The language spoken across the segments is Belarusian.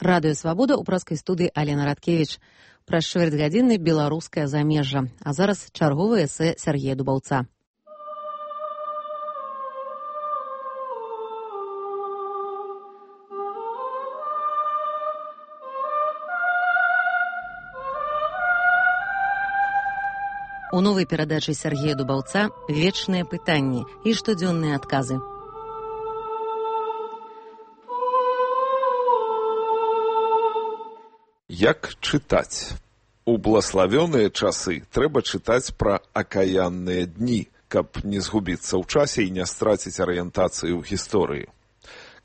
Радыё Свабода ў праскай студыі Алена Радкевіч. Праз чвэрцьгадзіны беларускае замежжа. А зараз чарговае эсэ Сергея Дубаўца. У новай перадачы Сергея Дубаўца вечныя пытанні і штодзённыя адказы. Як чытаць? У блаславёныя часы трэба чытаць пра акаянныя дні, каб не згубіцца ў часе і не страціць арыентацыі ў гісторыі.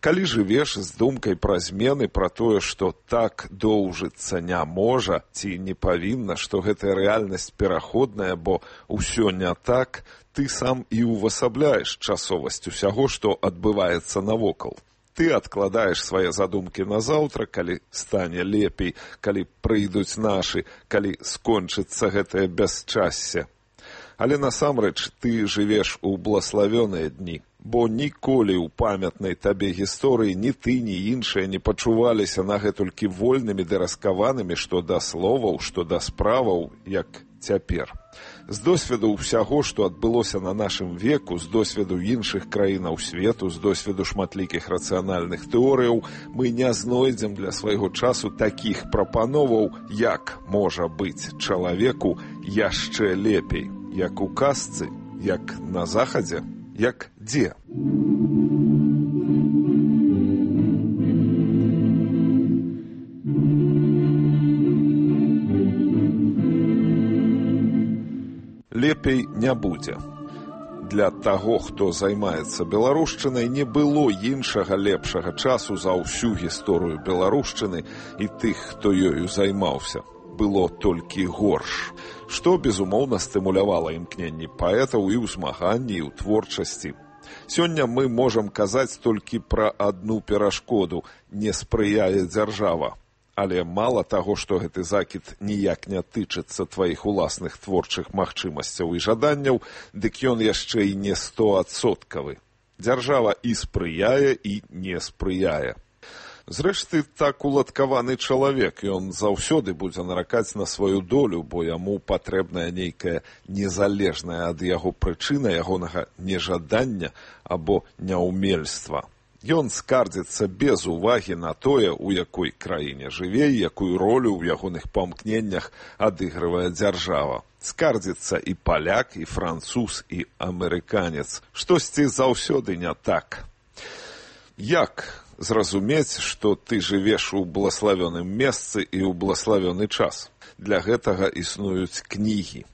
Калі жывеш з думкай пра змены, пра тое, што так доўжыцца не можа ці не павінна, што гэтая рэальнасць пераходная, бо ўсё не так, ты сам і ўвасабляеш часовасць усяго, што адбываецца навокал. Ты адкладаеш свае задумкі на заўтра, калі стане лепей, калі прыйдуць нашы, калі скончыцца гэтае бясчасце. Але насамрэч ты жывеш у блаславёныя дні, бо ніколі ў памятнай табе гісторыі ні ты, ні іншыя не пачуваліся нагэтулькі вольнымі ды раскаванымі што да словаў, што да справаў, як цяпер. З досведу ўсяго, што адбылося на нашым веку, з досведу іншых краінаў свету, з досведу шматлікіх рацыянальных тэорыяў, мы не знойдзем для свайго часу такіх прапановаў, як можа быць чалавеку яшчэ лепей, як у казцы, як на захадзе, як дзе. Лепей не будзе. Для таго, хто займаецца беларушчынай, не было іншага лепшага часу за ўсю гісторыю беларушчыны і тых, хто ёю займаўся. Было толькі горш, што, безумоўна, стымулявала імкненні паэтаў і ў змаганні, і ў творчасці. Сёння мы можам казаць толькі пра адну перашкоду – не спрыяе дзяржава. Але мала таго, што гэты закід ніяк не тычыцца тваіх уласных творчых магчымасцяў і жаданняў, дык ён яшчэ і не 100%. Дзяржава і спрыяе, і не спрыяе. Зрэшты, так уладкаваны чалавек, ён заўсёды будзе наракаць на сваю долю, бо яму патрэбная нейкая незалежная ад яго прычына ягонага нежадання або няўмельства. Ён скардзіцца без увагі на тое, у якой краіне жыве, якую ролю ў ягоных памкненнях адыгрывае дзяржава. Скардзіцца і паляк, і француз, і амерыканец. Штосьці заўсёды не так. Як зразумець, што ты жывеш у блаславёным месцы і ў блаславёны час? Для гэтага існуюць кнігі.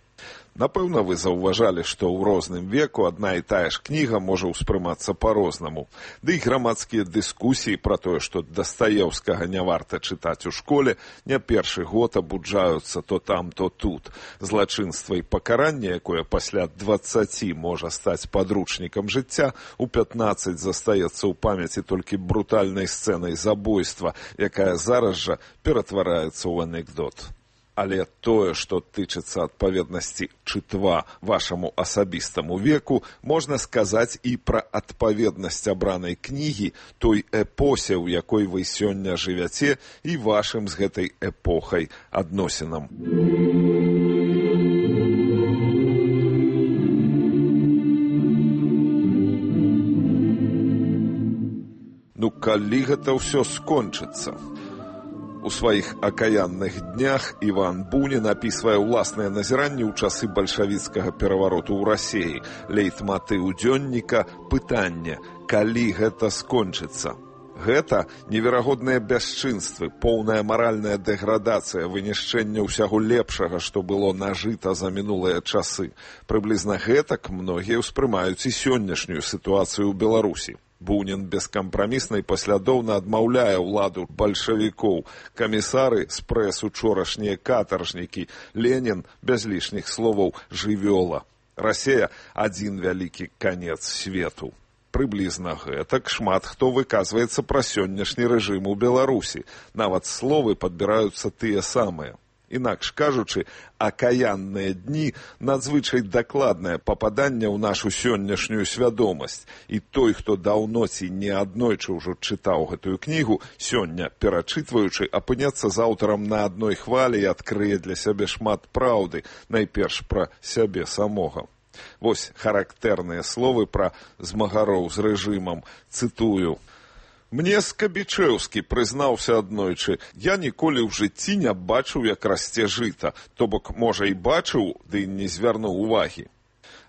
Напэўна, вы заўважалі, што ў розным веку адна і тая ж кніга можа ўспрымацца па-рознаму. Ды і грамадскія дыскусіі пра тое, што Дастаеўскага не варта чытаць у школе, не першы год абуджаюцца то там, то тут. Злачынства і пакаранне, якое пасля 20 можа стаць падручнікам жыцця, у 15 застаецца ў памяці толькі брутальнай сцэнай забойства, якая зараз жа ператвараецца ў анекдот. Але тое, што тычыцца адпаведнасці чытва вашаму асабістаму веку, можна сказаць і пра адпаведнасць абранай кнігі той эпосе, у якой вы сёння жывяце, і вашым з гэтай эпохай адносінам. Ну, калі гэта ўсё скончыцца? У сваіх акаянных днях Іван Бунін апісвае ўласныя назіранні ў часы бальшавіцкага перавароту ў Расіі. Лейтматыў дзённіка – пытанне, калі гэта скончыцца. Гэта неверагодныя бясчынствы, поўная маральная дэградацыя, вынішчэнне ўсяго лепшага, што было нажыта за мінулыя часы. Прыблізна гэтак многія ўспрымаюць і сённяшнюю сітуацыю ў Беларусі. Бунін бескампрамісна і паслядоўна адмаўляе ўладу бальшавікоў. Камісары з прэс учорашнія катаржнікі. Ленін, без лішніх словаў, жывёла. Расія – адзін вялікі канец свету. Прыблізна гэтак шмат хто выказваецца пра сённяшні рэжым у Беларусі. Нават словы падбіраюцца тыя самыя. Інакш кажучы, акаянныя дні надзвычай дакладнае пападанне ў нашу сённяшнюю свядомасць. І той, хто даўно ці не аднойчы ўжо чытаў гэтую кнігу, сёння, перачытваючы, апыняцца з аўтарам на адной хвалі і адкрые для сябе шмат праўды, найперш пра сябе самога. Вось характэрныя словы пра змагароў з рэжымам. Цытую. «Мне Скабічэўскі прызнаўся аднойчы, я ніколі ў жыцці не бачыў, як расце жыта, то бок, можа, і бачыў, ды не звярнуў увагі.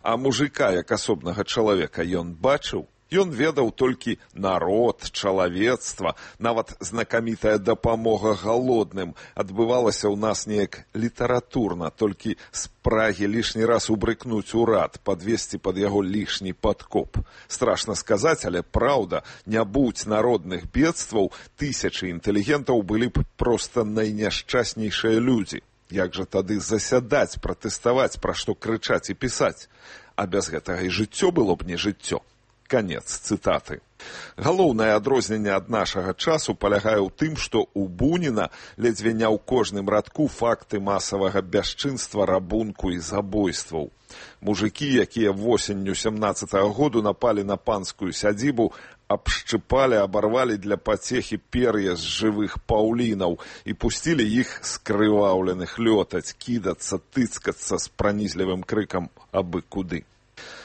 А мужика, як асобнага чалавека, ён бачыў? Ён ведаў толькі народ, чалавецтва, нават знакамітая дапамога галодным адбывалася ў нас неяк літаратурна, толькі з прагі лішні раз убрыкнуць урад, падвесці пад яго лішні падкоп. Страшна сказаць, але праўда, не будь народных бедстваў, тысячы інтэлігентаў былі б проста найняшчаснейшыя людзі. Як жа тады засядаць, пратэставаць, пра што крычаць і пісаць? А без гэтага і жыццё было б не жыццё. Канец цытаты. Галоўнае адрозненне ад нашага часу палягае ў тым, што ў Буніна ледзьве не ў кожным радку факты масавага бясчынства, рабунку і забойстваў. Мужыкі, якія восенню 17-го году напалі на панскую сядзібу, абшчыпалі, абарвалі для пацехі пер'я з жывых паўлінаў і пусцілі іх скрываўленых лётаць, кідацца, тыцкацца з пранізлівым крыкам абы куды.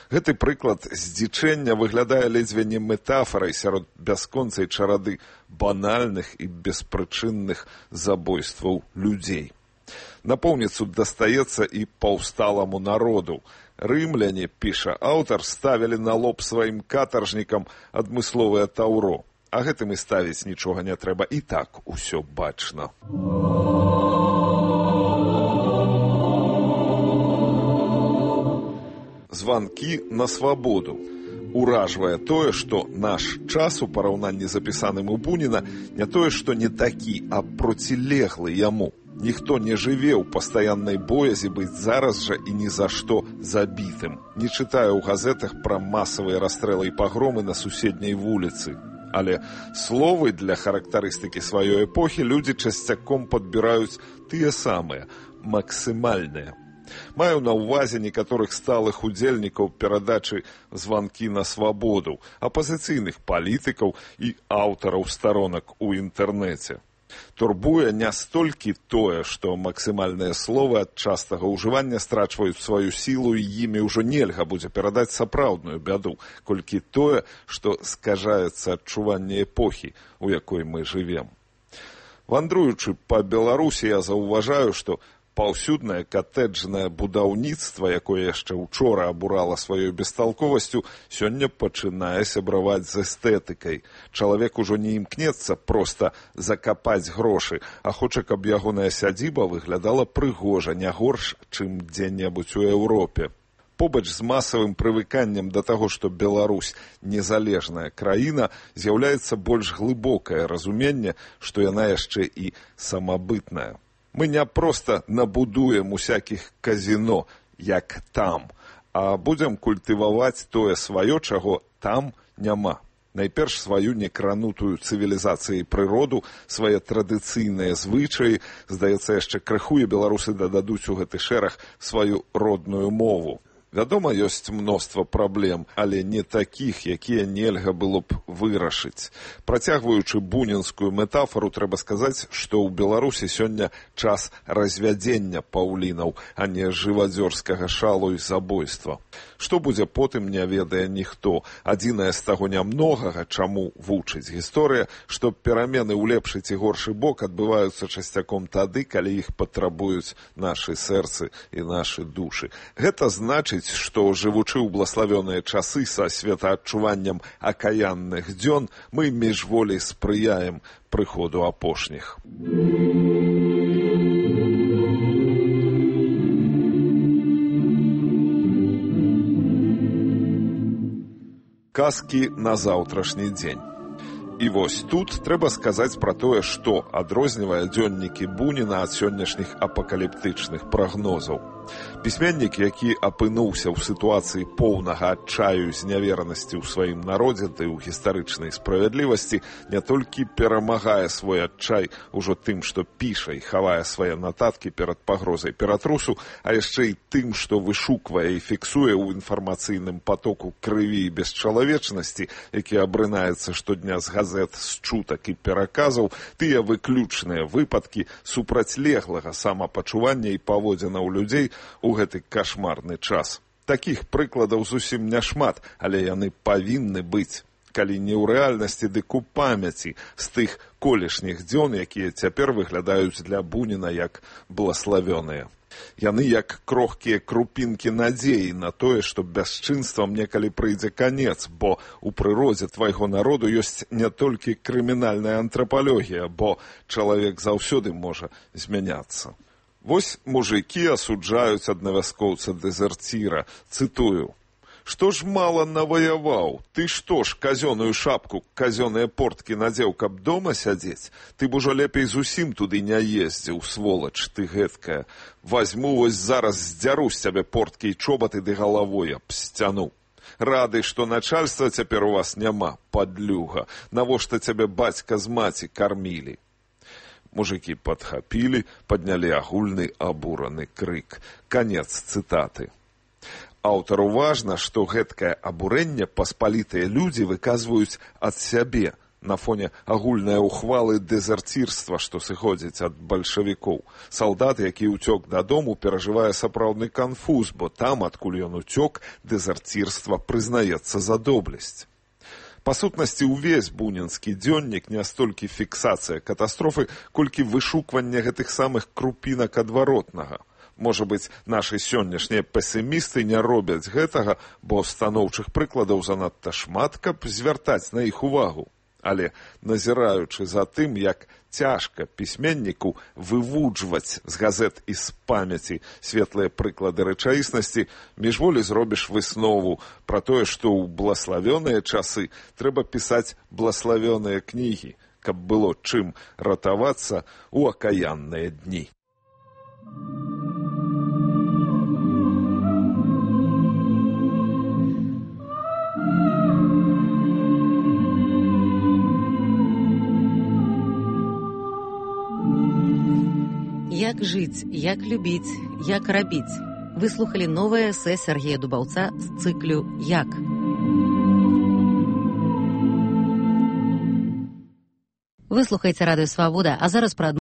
Гэты прыклад здзічэння выглядае ледзьве не метафарай сярод бясконцай чарады банальных і беспрычынных забойстваў людзей. Напоўніцу дастаецца і паўсталаму народу. Рымляне, піша аўтар, ставілі на лоб сваім катаржнікам адмысловае таўро. А гэтым і ставіць нічога не трэба, і так усё бачна. Званкі на свабоду. Уражвае тое, што наш час у параўнанні з апісаным у Буніна не тое, што не такі, а процілеглы яму. Ніхто не жыве ў пастаяннай боязі быць зараз жа і ні за што забітым. Не чытае ў газетах пра масавыя расстрэлы і пагромы на суседняй вуліцы. Але словы для характарыстыкі сваёй эпохі людзі часцяком падбіраюць тыя самыя, максімальныя. Маю на ўвазе некаторых сталых удзельнікаў перадачы «Званкі на свабоду», апазіцыйных палітыкаў і аўтараў старонак у інтэрнэце. Турбуе не столькі тое, што максімальныя словы ад частага ўжывання страчваюць сваю сілу і імі ўжо нельга будзе перадаць сапраўдную бяду, колькі тое, што скажаецца адчуванне эпохі, у якой мы жывем. Вандруючы па Беларусі, я заўважаю, што паўсюднае катэджнае будаўніцтва, якое яшчэ учора абурала сваёй бесталковасцю, сёння пачынае сябраваць з эстэтыкай. Чалавек ужо не імкнецца проста закапаць грошы, а хоча, каб ягоная сядзіба выглядала прыгожа, не горш, чым дзе-небудзь у Еўропе. Побач з масавым прывыканнем да таго, што Беларусь незалежная краіна, з'яўляецца больш глыбокае разуменне, што яна яшчэ і самабытная. Мы не проста набудуем усякіх казіно, як там, а будзем культываваць тое сваё, чаго там няма. Найперш сваю некранутую цывілізацыяй прыроду, свае традыцыйныя звычаі, здаецца, яшчэ крыху і беларусы дададуць у гэты шэраг сваю родную мову. Вядома, ёсць мноства праблем, але не такіх, якія нельга было б вырашыць. Працягваючы бунінскую метафору, трэба сказаць, што ў Беларусі сёння час развядзення паўлінаў, а не жывадзёрскага шалу і забойства. Што будзе потым, не ведае ніхто. Адзінае з таго нямногага, чаму вучыць гісторыя, што перамены ў лепшы ці горшы бок адбываюцца часцяком тады, калі іх патрабуюць нашы сэрцы і нашы душы. Гэта значыць, што, жывучы ў блаславёныя часы са светаадчуваннем акаянных дзён, мы міжволі спрыяем прыходу апошніх. Казкі на заўтрашні дзень. І вось тут трэба сказаць пра тое, што адрознівае дзённікі Буніна ад сённяшніх апакаліптычных прагнозаў. Пісьменнік, які апынуўся ў сітуацыі поўнага адчаю зняверанасці ў сваім народзе ды ў гістарычнай справядлівасці, не толькі перамагае свой адчай ужо тым, што піша і хавае свае нататкі перад пагрозай ператрусу, а яшчэ і тым, што вышуквае і фіксуе ў інфармацыйным патоку крыві і бесчалавечнасці, які абрынаецца штодня з газет, з чутак і пераказаў, тыя выключныя выпадкі супрацьлеглага самапачування і паводзінаў людзей у гэты кашмарны час. Такіх прыкладаў зусім няшмат, але яны павінны быць. Калі не ў рэальнасці, дык у памяці з тых колішніх дзён, якія цяпер выглядаюць для Буніна як блаславёныя. Яны як крохкія крупінкі надзеі на тое, што бясчынствам некалі прыйдзе канец, бо ў прыродзе твайго народу ёсць не толькі крымінальная антрапалогія, бо чалавек заўсёды можа змяняцца. Вось мужыкі асуджаюць аднавяскоўца-дэзерціра, цытую: «Што ж мала наваяваў? Ты што ж казёную шапку, казёныя порткі надзеў, каб дома сядзець? Ты б ужо лепей зусім туды не ездзіў, сволач ты гэткая. Вазьму вось зараз здзяру з цябе порткі і чобаты ды галавой аб сцяну. Рады, што начальства цяпер у вас няма, падлюга. Навошта цябе бацька з маці кармілі?» Мужыкі падхапілі, паднялі агульны абураны крык. Канец цытаты. Аўтару важна, што гэткае абурэнне паспалітыя людзі выказваюць ад сябе на фоне агульнай ухвалы дэзерцірства, што сыходзіць ад бальшавікоў. Салдат, які ўцёк дадому, перажывае сапраўдны канфуз, бо там, адкуль ён уцёк, дэзерцірства прызнаецца за доблесць. Па сутнасці, увесь бунінскі дзённік не столькі фіксацыя катастрофы, колькі вышукванне гэтых самых крупінак адваротнага. Можа быць, нашы сённяшнія песімісты не робяць гэтага, бо станоўчых прыкладаў занадта шмат, каб звяртаць на іх увагу. Але, назіраючы за тым, як цяжка пісьменніку вывуджваць з газет і з памяці светлыя прыклады рэчаіснасці, міжволі зробіш выснову пра тое, што ў блаславёныя часы трэба пісаць блаславёныя кнігі, каб было чым ратавацца ў акаянныя дні. Як жыць, як любіць, як рабіць. Вы слухалі новае эсэ Сергея Дубаўца з цыклю «Як». Вы слухаеце радыё «Свабода», а зараз пра